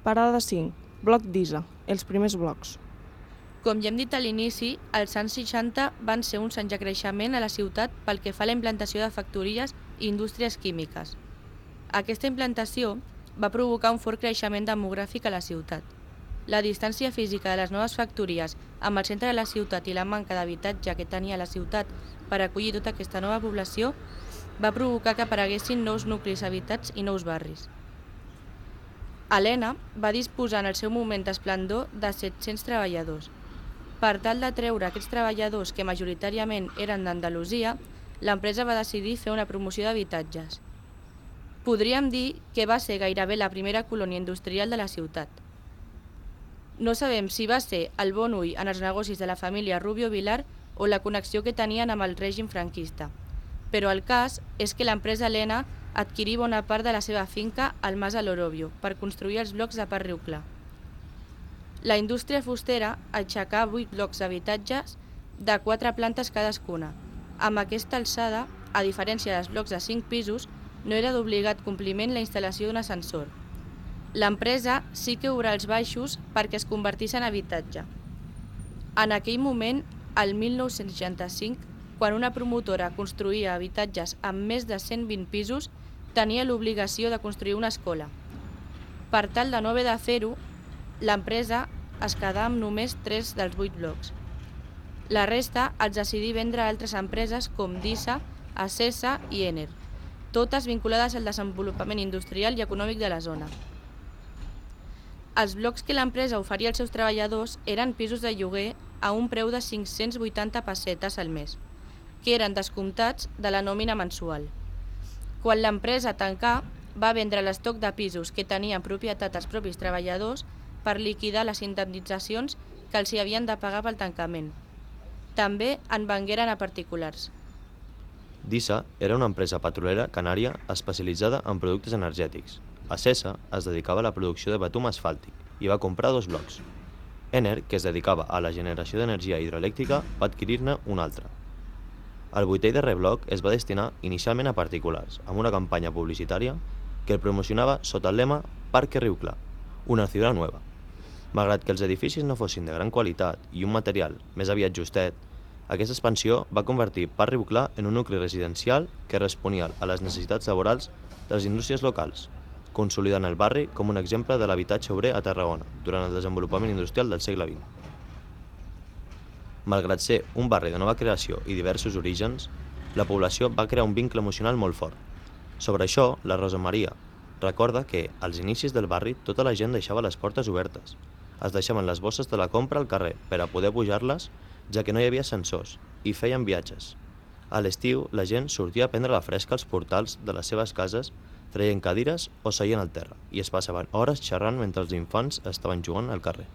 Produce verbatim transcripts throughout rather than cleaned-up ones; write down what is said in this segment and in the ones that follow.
Parada cinc. Bloc d'Isa. Els primers blocs. Com ja hem dit a l'inici, els anys seixanta van ser uns anys de creixement a la ciutat pel que fa a la implantació de factories i indústries químiques. Aquesta implantació va provocar un fort creixement demogràfic a la ciutat. La distància física de les noves factories amb el centre de la ciutat i la manca d'habitatge que tenia la ciutat per acollir tota aquesta nova població va provocar que apareguessin nous nuclis habitats i nous barris. Helena va disposar en el seu moment d'esplendor de set-cents treballadors. Per tal d'atreure aquests treballadors que majoritàriament eren d'Andalusia, l'empresa va decidir fer una promoció d'habitatges. Podríem dir que va ser gairebé la primera colònia industrial de la ciutat. No sabem si va ser el bon ull en els negocis de la família Rubio Vilar o la connexió que tenien amb el règim franquista, però el cas és que l'empresa Helena adquirí bona part de la seva finca al Mas de l'Orobio per construir els blocs de Parc Riu Clar. La indústria fustera aixecà vuit blocs d'habitatges de quatre plantes cadascuna. Amb aquesta alçada, a diferència dels blocs de cinc pisos, no era d'obligat compliment la instal·lació d'un ascensor. L'empresa sí que obrà els baixos perquè es convertís en habitatge. En aquell moment, el mil nou-cents seixanta-cinc, quan una promotora construïa habitatges amb més de cent vint pisos, tenia l'obligació de construir una escola. Per tal de no haver de fer-ho, l'empresa es quedà amb només tres dels vuit blocs. La resta els decidí vendre a altres empreses com Disa, Acesa i Ener, totes vinculades al desenvolupament industrial i econòmic de la zona. Els blocs que l'empresa oferia als seus treballadors eren pisos de lloguer a un preu de cinc-cents vuitanta pessetes al mes, que eren descomptats de la nòmina mensual. Quan l'empresa tancà, va vendre l'estoc de pisos que tenien propietat els propis treballadors per liquidar les indemnitzacions que els hi havien de pagar pel tancament. També en vengueren a particulars. Disa era una empresa petrolera canària especialitzada en productes energètics. Acesa es dedicava a la producció de betum asfàltic i va comprar dos blocs. Ener, que es dedicava a la generació d'energia hidroelèctrica, va adquirir-ne un altre. El vuitè i darrer bloc es va destinar inicialment a particulars, amb una campanya publicitària que el promocionava sota el lema Parque Riu Clar, una ciutat nova. Malgrat que els edificis no fossin de gran qualitat i un material més aviat justet, aquesta expansió va convertir Parc Riu Clar en un nucli residencial que responia a les necessitats laborals de les indústries locals, consolidant el barri com un exemple de l'habitatge obrer a Tarragona durant el desenvolupament industrial del segle vint. Malgrat ser un barri de nova creació i diversos orígens, la població va crear un vincle emocional molt fort. Sobre això, la Rosa Maria recorda que, als inicis del barri, tota la gent deixava les portes obertes. Es deixaven les bosses de la compra al carrer per a poder pujar-les, ja que no hi havia ascensors, i feien viatges. A l'estiu, la gent sortia a prendre la fresca als portals de les seves cases, traient cadires o seient al terra, i es passaven hores xerrant mentre els infants estaven jugant al carrer.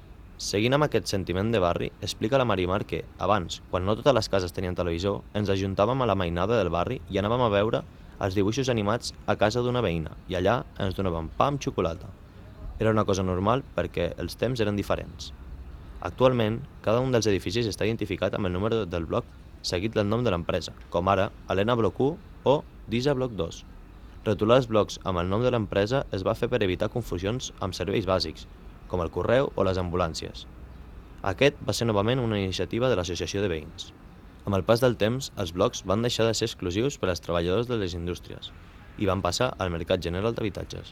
Seguint amb aquest sentiment de barri, explica la Marimar que, abans, quan no totes les cases tenien televisor, ens ajuntàvem a la mainada del barri i anàvem a veure els dibuixos animats a casa d'una veïna, i allà ens donaven pa amb xocolata. Era una cosa normal perquè els temps eren diferents. Actualment, cada un dels edificis està identificat amb el número del bloc seguit del nom de l'empresa, com ara Helena Bloc u o Disa Bloc dos. Rotular els blocs amb el nom de l'empresa es va fer per evitar confusions amb serveis bàsics, com el correu o les ambulàncies. Aquest va ser novament una iniciativa de l'Associació de Veïns. Amb el pas del temps, els blocs van deixar de ser exclusius per als treballadors de les indústries i van passar al mercat general d'habitatges.